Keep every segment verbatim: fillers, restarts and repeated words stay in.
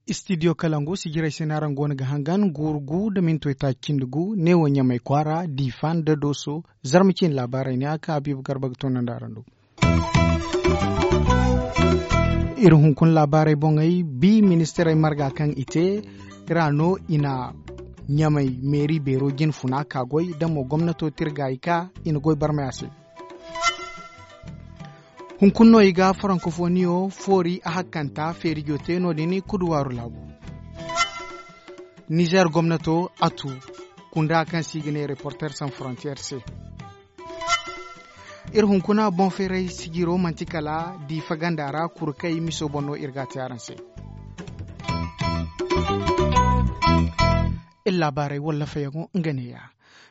Istidiyo kalangu sijirey se no araŋ go no ga hangan guuru gu nda mintoy taaci cindi gu neewo ɲamay kwaara diifa nda dooso. Zarma ciine laabaarey ne a ka habiibu garba ga toonandi araŋ do. Iri hunkuna laabaarey boŋey bi ministirey marga kaŋ i te ra no i na ɲamay meeri beero jine funa ka goy da mo gomnato te iri gaayi ka i na goy barmay a se. Hunkuna no i ga farankofoniyo foori a hakkanta feerijo te no- din kuduwaaru laabu. Nizeer gomnato a tu kunda kaŋ se i ga ne reporter san frontier se. Iri hunkuna boŋ feeray sijiro manti kala diifa ganda ra kurkay miso boŋ no iri ga a te araŋ se. Iri laabaarey wallafeyaŋo nga neeya.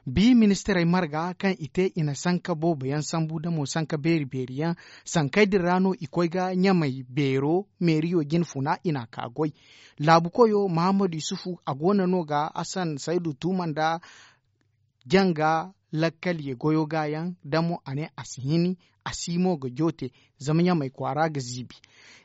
Bi ministirey marga kaŋ i te i na sanka boobo yaŋ sambu da mo sanka beeri beeri yaŋ. Sankey din ra no i koy ga ɲamay beero meeriyo jine funa i na a ka goy. Laabu koyo mahammadu yusufu a go no no ga hasan saydu tuuma nda janga lakkal ye goyo ga yaŋ da mo a ne a si hini a si mo ga joote. Zama ɲamay kwaara ga ziibi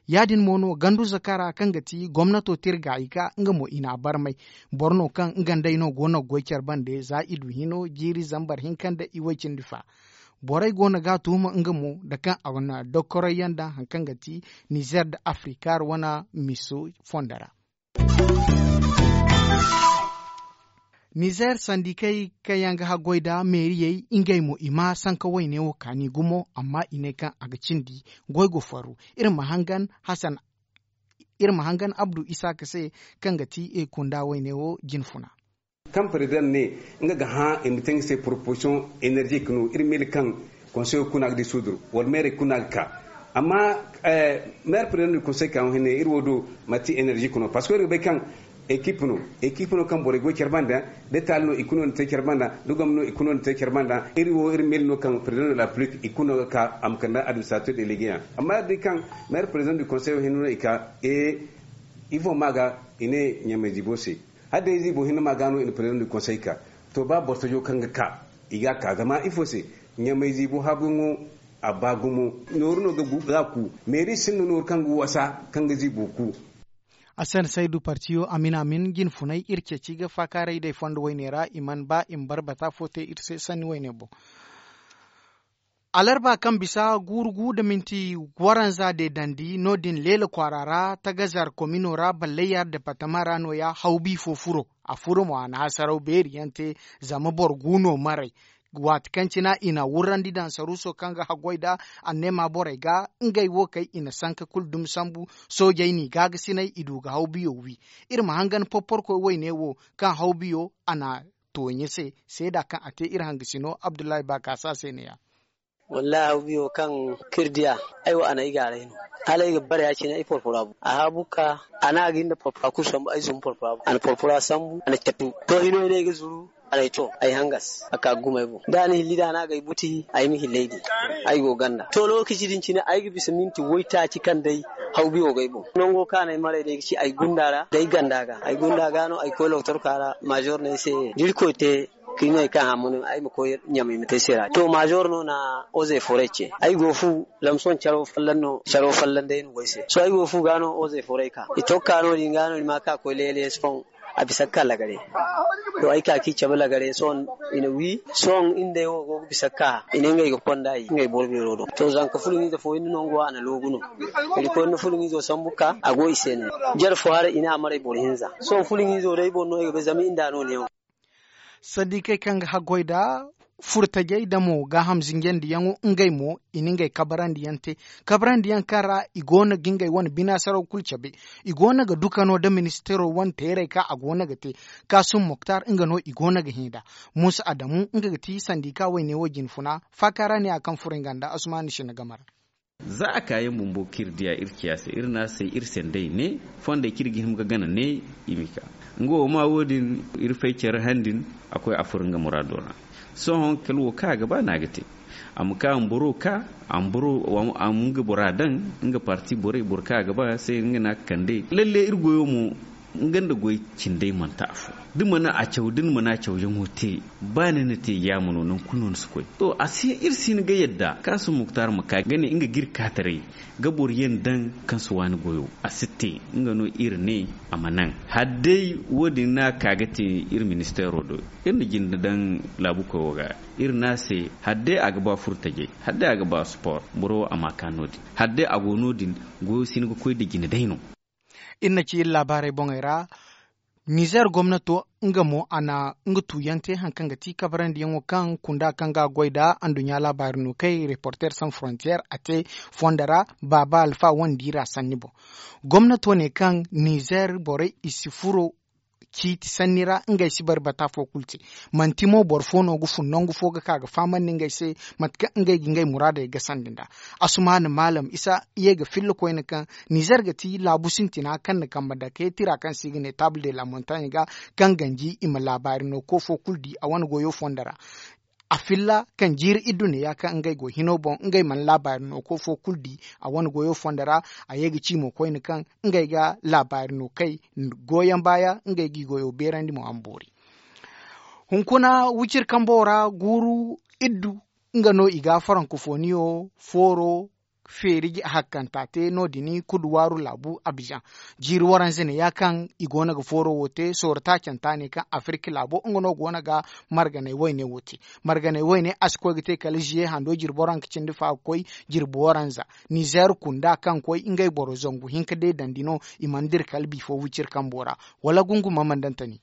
ya- din mo no gandu zakara kaŋ ga ti gomnato te iri gaayi ga nga mo i na a barmay. Boro no kaŋ nga nd'ey no go no ga goy care bande za i du hino jiiri zambar hinka nda i way cindi fa. Borey go no ga a tuuma nga mo nda kaŋ a na dokkorey yaŋ daŋ hari kaŋ ga ti nizeer nda afrikaar wane miso fondo ra. Nizeer sandikey kaŋ yaŋ ga haggoy nda meeriyey ngey mo i ma sanka wayne wo kaani gumo amma i ne kaŋ a ga cindi goy go farru. Iri ma hangan hasan iri ma hangan abdu isaaka se kaŋ ga ti kunda wayne wo jine funa. Kaŋ perezidaŋ ne nga ga hã i ma te nga se poroposisiyoŋ enerzik no iri miila kaŋ konseyo kuna ga di sudur wala meerey kuna ga ka. Amma meere perezidaŋ du konsey ka hõ hinne iri wo do manti enerzik no parceque iri ga bay kaŋ ekip no ekip no kaŋ borey goy care banda. Da taali no i kuna no te care banda da gomni no i kuna no te care banda iri wo iri miila no kaŋ perezidaŋ du la republik i kuna no ga ka a ma kande administrator delegeyaŋ. Amma iri di kaŋ meere perezidaŋ du konseyo hinne no i ka ifo ma ga i ne ɲamay ziibo se. Hala day ziibo hinne ma ga no i na perezidaŋ du konsey ka to ba boro tajo kaŋ ga ka i ga a ka zama ifo se ɲamay ziibo haabuyaŋo a ba gumo. Nooru no ga ku meeri sinda nooru kaŋ ga wasa kaŋ ga ziibo ku. A se no saydu partiyo amin amin jine funay iri ceeci ga faakaaray day fondo wayne ra i mana ba i ma barbata fo te iri se sanni wayne boŋ. Alarba kaŋ bisa guuru gu nda minti waranza deedandi no- din leela kwaara ra tagazar komino ra ballayar departama ra nooya hawbi fo furo. A furo mo a na hasaraw beeri yaŋ te zama boro gu no maray. Waati kaŋ cina i na wurrandi daŋ saruuso kaŋ ga haggoy nda anneema borey ga ngey wo kay i na sanka kulu dumi sambu. Soojey n'i gaagasinay i du ga hawbiyo wi. Iri ma hangan porporkoy wayne wo kaŋ hawbiyo a na tooɲe se seeda kaŋ a te iri hangasino abdullahi baakaasa se neeya. Wallahi hawbiyo kaŋ kaŋ iri diya ay wo a na ay gaaray no. Hala ay ga bare ya- cine ay porpora bu a haabu ga ka a ne a ga hin da porpora kulu sambu ay zumbu porpora bu a na porpora sambu a na catu. To hino hino ay ga zuru a na ay to ay hangas a ka ga gumay boŋ da a na hilli da a ne a ga ay buti ay ma hilli ay di. Ay go ganda to lookaci din cine ay ga bisa minti waytaaci kaŋ day hawbiyo ga ay boŋ nango kaŋ a na ay maray day ga ci ay gunda ra da ay ganda ga ay gunda ga no ay koy lokotorka ra maazor no ay se da irkoy te. Ka i ne ay kaŋ hammano ay ma koy ɲamay ma te ay se ra to maazor no na oze foray ce. Ay go fu lamson caro folloŋ no caro folloŋ day no go ay se sohõ ay go fu ga no oze foray ka i to ga ka no- din ga no ni ma ka koy leele sohõ. A bisa ga ka lagare to ay ka ka i cabe lagare sohõ. I na wi sohõ iri nda ay wo go ga bisa ga ka i ne ngey ga konda i ngey boro beero do to zanka fulaŋiize fo hinne no nga wo a na loogu no. Iri koy ni fulaŋiizo sambu ga ka a go i se ne. Jare fo haray i ne a maray boro hinza sohõ fulaŋiizo day boro no ay ga bay zama iri nda no neewo. Sandikey kaŋ ga haggoy nda furtajey nda mo gaaham zinjandiyaŋo ngey mo i na ngey kabarandiyaŋ te. Kabarandiyaŋ kaŋ ra i go no ga ngey wane binaasaraw kulu cabe. I go no ga duka no nda ministiro wane teerey kaŋ a go no ga te kaasum moktar nga no i go no ga hẽ nd'a. Muusa adamu nga ga ti sandika wayne wo jine funa faaka ra ne a kaŋ furo nga nda asumaani sinna game ra. Za a kaayaŋ bumbo kaŋ iri diya iri ciya se iri ne a se iri sendey ne fondey kaŋ iri ga hima ga gana ne i ma i ka. Nga wo ma wo- din iri fay care han din a koy a furo nga muraado ra. Sohõ kala wo kaŋ a ga ba no a ga te. A ma ka a ma boro ka a ma boro a ma nga bora daŋ nga parti borey boro kaŋ a ga ba se nga no a ga kande lalle iri goyo mo. Nga nda goy cindey manti afo. Da ni mana a caw da ni mana cawyaŋo te, ba ni na te yaama no nangu kulu no ni si koy. To a si hin iri si hin ga yadda kaasum muktar ma ka ga ne nga ga iri kaataray ga boro yaŋ daŋ kaŋ si waani goyo. A si te. Nga no iri ne a ma naŋ. Hala day wo- din no a ka ga te iri ministeero do. Iri na jinde daŋ laabukoy wo ga. Iri ne a se hala day a ga ba furtajey, hala day a ga ba sport, boro wo a ma a ka no- din. Hala day a go no- din, goyo si hin ga koy nda jine day no. Iri na ci iri laabaarey boŋey ra. Nizer gomnato nga mo a na nga tuuyaŋ te hari kaŋ ga ti kabarandiyaŋo kaŋ kunda kaŋ ga a goy nda anduɲɲa laabaari no kay reporter sans frontier a te fondo ra baaba alfa wandi ra sanni boŋ. Gomnato ne kaŋ nizer borey i si furo ciiti sanni ra ngey si bari bata fo kulu te. Manti mo boro fo no ga fun nangu fo ga ka ga fahamandi ngey se mate kaŋ ngey ga ngey muraadey gasandi nd'a. Asumaana maalam isa ye ga filla koyne kaŋ nizer ga ti laabu sintina kaŋ na kambe dake tira kaŋ se i ga ne table de la montagne ga, kaŋ ganji i ma laabaari no ko fo kulu di a wane goyo fondo ra. A filla kaŋ jiiri iddu ne ya kaŋ ngey go hino boŋ ngey mana laabaari no ko fo kulu di a wane goyo fondo ra. A ye ga ci mo koyne kaŋ ngey ga laabaari no kay goyaŋ baaya ngey g'i goyo beerandi mo a ma boori. Hunkuna wiciri kambo ra guuru iddu nga no i ga farankofoniyo fooro feeri hakkanta te no- din kuduwaaru laabu abizaŋ. Jiiri waranza ne ya kaŋ i go no ga fooro wo te sooro taacanta ne kaŋ afirka laabo nga no go no ga marganay wayne wo te. Marganay wayne a si koy ga te kala ziye hando jirbi waranka cindi fa ga koy jirbi waranza. Nizer kunda kaŋ koy ngey boro zangu hinka deedandi no. I mana dira kala bifo wiciri kambo ra wala gungu ma mandantani.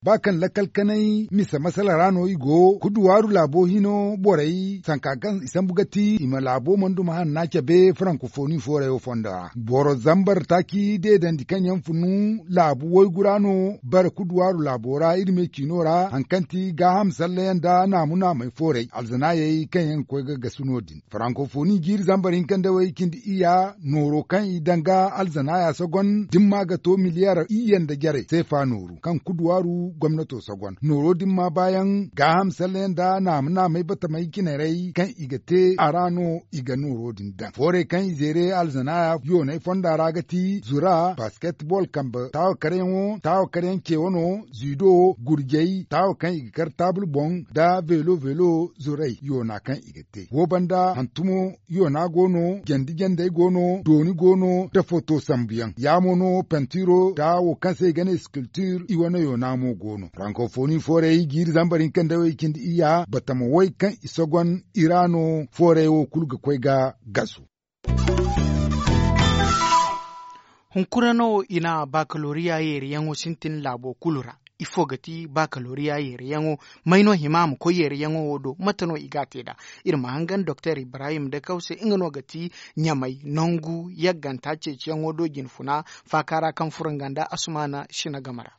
Ba kaŋ lakkal kanay mise masala ra no i go kuduwaaru laabo hino borey sanka kaŋ i sambu ga ti i ma laabo mana duma hanna cabe farankofoni foorayo fondo ra boro zambar taaci deedandi kaŋ yaŋ funu laabu waygu ra no. Bare kuduwaaru laabo ra iri me ciino ra hari kaŋ ti gaaham sallayaŋ nda naamu naamey fooray alzanaayey kaŋ yaŋ ga koy ga gasu no- din. Farankofoni jiiri zambar hinka nda way cindi iyya nooro kaŋ i daŋ ga alzanaaya sogon dimma ga to miliyar iyye nda jarey seefa nooru kaŋ kuduwaaru gomnato sogon nooro dimma baayaŋ gaaham sallayaŋ nda naama naamay batamay cinarey kaŋ i ga te a ra no i ga nooro din daŋ foorey kaŋ i zeere alzanaaya yoonay fonda ra ga ti zura basketbol kambe taawakaryaŋo taawakaryaŋ ce wano zido gurjey taawa kaŋ i ga kar taabul boŋ nda velo velo zurey yoona kaŋ i ga te wo banda hantumo yoona go no jandi jandey go no dooni go no nda foto sambuyaŋ ya mo no pantiro nda wo kaŋ se i ga ne sculpture i wane yoona mo go no frankofoni fooray jiiri zambar hinka nda way cindi iyya batama way kaŋ i sogon i ra no fooray wo kulu ga koy ga gasu. Hunkuna no i na bakaloriya yeeriyaŋo sintin laabo kulu ra. Ifo ga ti bakaloriya yeeriyaŋo? May no hima a ma koy yeeriyaŋo wo do mate no i ga a te nd'a? Iri ma hangan doktor ibrahim dakaw se nga no ga ti ɲamay nangu yagganta ceeciyaŋo do jinfuna faaka ra kaŋ furo nga nda asumaana sina game ra.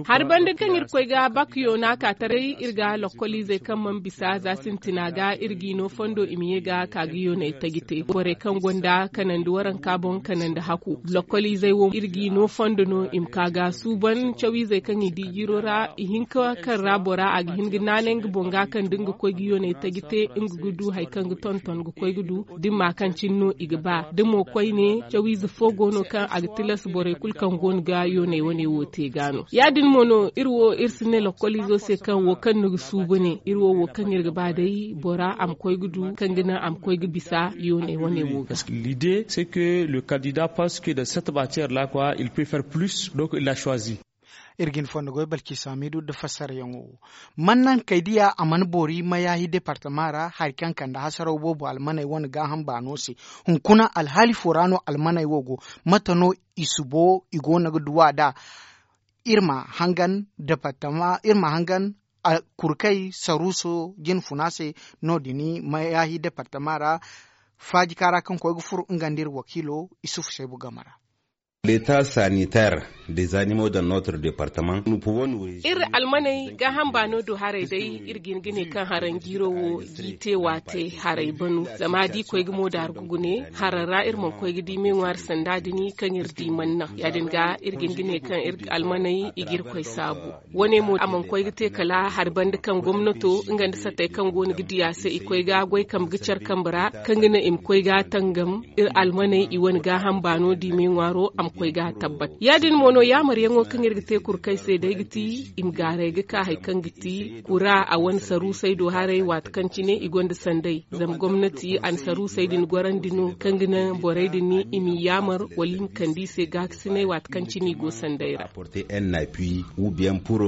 Hari banda kaŋ iri koy ga bak yoona ka taray iri ga lokkoliizey kaŋ mana bisa za sintina ga iri g'i no fondo i ma ye ga ka ga yooney taji te borey kaŋ gonda kanandi waranka boŋ kanandi haku lokkoliizey wo iri g'i no fondo no i ma ka ga suuban cawiizey kaŋ i di jiro ra ihinka kaŋ ra bora a ga hin ga naanay nga boŋ ga kaŋ da nga koy ga yooney taji te nga ga du hari kaŋ ga tonton ga koy ga du da ni ma kaŋ cine no i ga ba da mo koyne cawiize fo go no kaŋ a ga tilas borey kulu kaŋ go no ga yooney wane wo te ga no ya- din mo no iri wo iri si ne lokkoliizo se kaŋ wo kaŋ ni ga suubu ne iri wo wo kaŋ iri ga ba day bora a ma koy ga du kaŋ ga naŋ a ma koy ga bisa yooney wane wo ga. L'idée c'est que le candidat pense que dans cette matière là quoi il peut faire plus donc il a choisi. Iri ga hin fondo goy balki samidu nda fassarayaŋo wo. Mannankey diya a mana boori mayaahi departama ra hari kaŋ kande hasaraw boobo almaney wane gaaham baano se. Hunkuna alhaali fo ra no almaney wo go? Mate no i subo i go no ga duw'a nd'a? Iri ma hangan departama iri ma hangan kurkey saruuso jinfuna se. No- din mayaahi departama ra faajika ra kaŋ koy ga furo nga nda iri wakiilo isufu seebu game ra. Leta sanitaire. Des animaux dans notre département. Iri almaney gaaham baano do haray day. Iri ga hin ga ne kaŋ haranjiiro wo g'i te waate haray banu. Zama da i koy ga moodaaru ga gune haran ra iri mana koy ga di meeŋwaari sanda din kaŋ iri di mana naŋ ya- din ga iri ga hin ga ne kaŋ iri almaney i ga iri koy saabu. Wane mo a mana koy ga te kala hari banda kaŋ gomnato nga nda sattey kaŋ go no ga di a se i koy ga goy kambe ga care kambe ra kaŋ ga naŋ i ma koy ga tangam. Iri almaney i wane gaaham baano di meeŋwaaro a ma koy ga tabbat ya- din mo no yaamaryaŋo kaŋ iri ga te kurkey se day ga ti i ma gaaray ga ka hari kaŋ ga ti kura a wane saruusey do haray waati kaŋ cine i gonda sanday. Zama gomnati a na saruusey din gorandi no kaŋ ga naŋ borey din i m'i yaamar wala i ma kande i se gaakasinay waati kaŋ cine i go sanday ra. Apporter un appui ou bien pour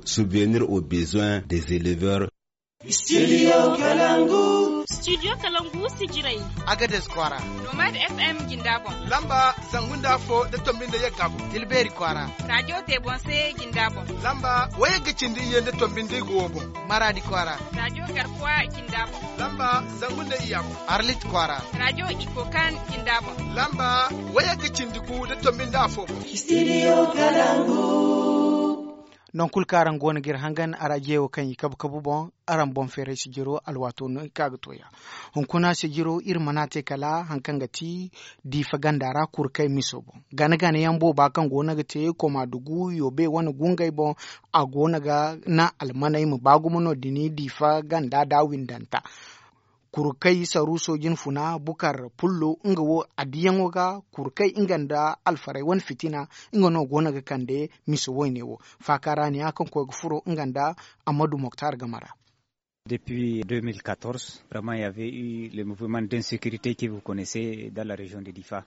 subvenir aux besoins des éleveurs. Studio kalangu. Studio kalangu si jiray. Agades kwaara. Nomad fm jinda boŋ. Lamba zangu nda afo da tombi nda yagga boŋ. Tilbeeri kwaara. Radio te boŋ se jinda boŋ. Lamba wayagga cindi iyye nda tombi nda igo wo boŋ. Maradi kwaara. Radio garkuwa jinda boŋ. Lamba zangu nda iyya boŋ. Arlit kwaara. Radio ikokan jinda boŋ. Lamba wayagga cindi gu da tombi nda afo boŋ. Studio kalangu. Nangu kulu kaŋ araŋ go no ga iri hangan arajiyo kaŋ i kabu kabu boŋ. Araŋ boŋ feeray sijiro alwaato no i ka ga to ya. Hunkuna sijiro iri mana te kala hari kaŋ ga ti diifa ganda ra kurkay miso boŋ. Gana gana yaŋ booba kaŋ go no ga te koma dugu yoobe wane gungay boŋ. A go no ga naŋ almaney ma ba gumo no- din diifa ganda da windanta. Kurkay saruuso jinfuna bukar pullo nga wo adiyaŋo ga kurkay nga nda alfarey wane fitina. Nga no go no ga kande miso woyne wo faaka ra ne ya kaŋ koy ga furo nga nda amadu moktar game ra. Depuis deux mille quatorze vraiment ya ve u le mouvement d'insécurité ke vous connaissez dans la région de difa.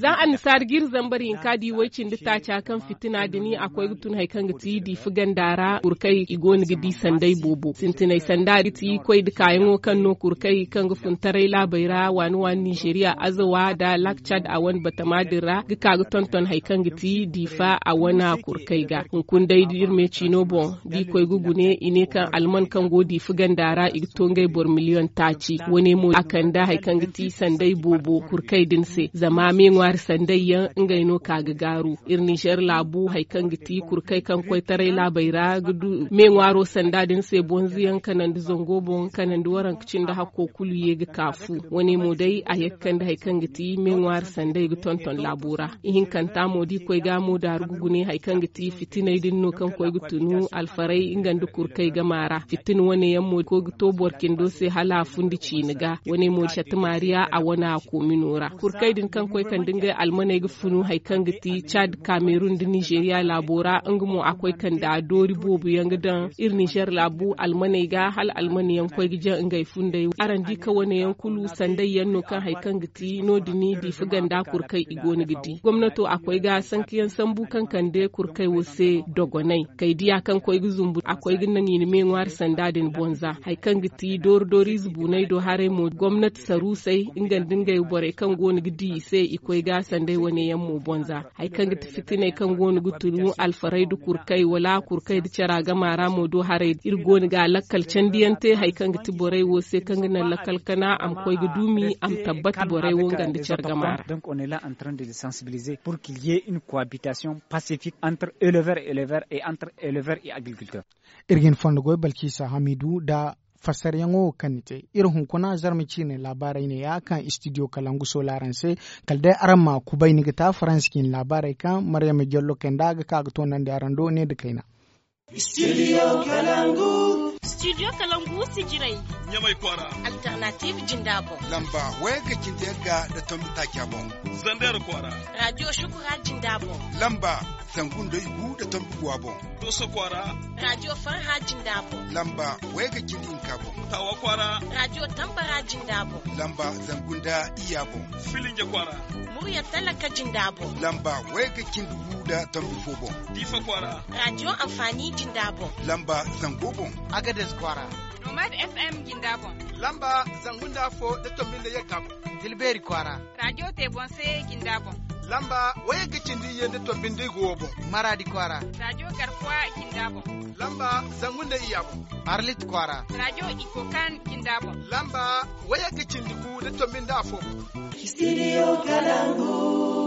Za annasaari ga iri zambar hinka di way cindi taaca kaŋ fitina din a koy ga tun hari kaŋ ga ti diifa ganda ra kurkay i go no ga di sanday boobo sintinay sanda ga ti koy nda kaayaŋo kaŋ no kurkay kaŋ ga fun taray laabey ra waani waani nizeeriya azawa nda lak cad a wane batama din ra ga ka ga tonton hari kaŋ ga ti diifa a wane kurkay ga. Hunkuna day da iri me ciino boŋ da i koy ga gune i ne kaŋ alman kaŋ go diifa ganda ra i ga to ngey boro miliyoŋ taaci wane mo a kande hari kaŋ ga ti sanday boobo kurkay din se zama meeŋwaari sanday yaŋ ngey no ka ga gaaru. Iri nizer laabu hari kaŋ ga ti kurkay kaŋ koytaray laabey ra ga du meeŋwaaro sanda din se bonzo yaŋ kanandi zango boŋ kanandi waranka cindi hakko kulu ye ga ka fu. Wane mo day a ye ga kande hari kaŋ ga ti meeŋwaari sanday ga tonton laabo ra. Ihinkanta mo da i koy ga mo daaru ga gune hari kaŋ ga ti fitinay din no kaŋ koy ga tunu alfaray nga nda kurkay game ra fitina wane yaŋ mo koy ga to boro cindo se hala a fundi ciina ga wane mo da satti maariya a wane a koomino ra kurkay din kaŋ koy kande ngey almaney ga funu hari kaŋ ga ti caad kaamerun nda nizeeriya laabo ra nga mo a koy kande a doori boobo yaŋ ga daŋ iri nizer laabu almaney ga hala almani yaŋ koy ga jaŋ ngey funday araŋ di ka wane yaŋ kulu sanday yaŋ no kaŋ hari kaŋ ga ti no- din diifa ganda kurkay i go no ga di gomnato a koy ga sanka yaŋ sambu kaŋ kande kurkay wo se dogonay kay diya kaŋ koy ga zumbu a koy ga naŋ i na meeŋwaari sanda din bonza hari kaŋ ga ti doori doori ize buunay do haray mo gomnati saruusay nga nda ngey borey kaŋ go no ga di i se i koy ga sanday wane yaŋ mo bonza hari kaŋ ga ti fitinay kaŋ go no ga tunu alfaray nda kurkay wala kurkay nda cara game ra mo do haray iri go no ga lakkal candiyaŋ te hari kaŋ ga ti borey wo se kaŋ ga naŋ lakkal kana a ma koy ga duumi a ma tabbata borey wo nga nda care game ra. Donc on est là en train de les sensibiliser pour qu'il y ait une cohabitation pacifique entre éleveurs et éleveurs et entre éleveurs et agriculteurs. Iri ga hin fondo goy balkisa hamidu nda fassaryaŋo wo kaŋ ni te iri hunkuna zarma ciine laabaarey ne ya kaŋ studio kalangu sola araŋ se. Kala day araŋ ma kubay ni ga ta faransa ciine laabaarey kaŋ maryama jallo kay nda ga ka ga toonandi araŋ do ne nda kayna. Studio kalangu. Studio kalangu si jiray. Ɲamay kwaara. Alternative jinda boŋ. Lamba wayga cindi yagga nda tombi taaca boŋ. Zander kwaara. Radio shukura jinda boŋ. Lamba zangu nda igu nda tombi guwa boŋ. Doso kwaara. Radio farha jinda boŋ. Lamba wayga cindi hinka boŋ. Tawa kwaara. Radio tambara jinda boŋ. Lamba zangu nda iyya boŋ. Filinja kwaara. Murya talaka jinda boŋ. Lamba wayga cindi gu nda tombi fo boŋ. Diifa kwaara. Radio amfani jinda boŋ. Lamba zango boŋ. Agades kwaara. Nomad fm jinda boŋ. Lamba zangu nda afo nda tombi nda yagga boŋ. Tilbeeri kwaara. Radio te boŋ se jinda boŋ. Lamba wayagga cindi iyye nda tombi nda igo wo boŋ. Maradi kwaara. Radio garkuwa jinda boŋ. Lamba zangu nda iyya boŋ. Arlit kwaara. Radio ikokan jinda boŋ. Lamba wayagga cindi gu nda tombi nda afo boŋ. Studio kalangu.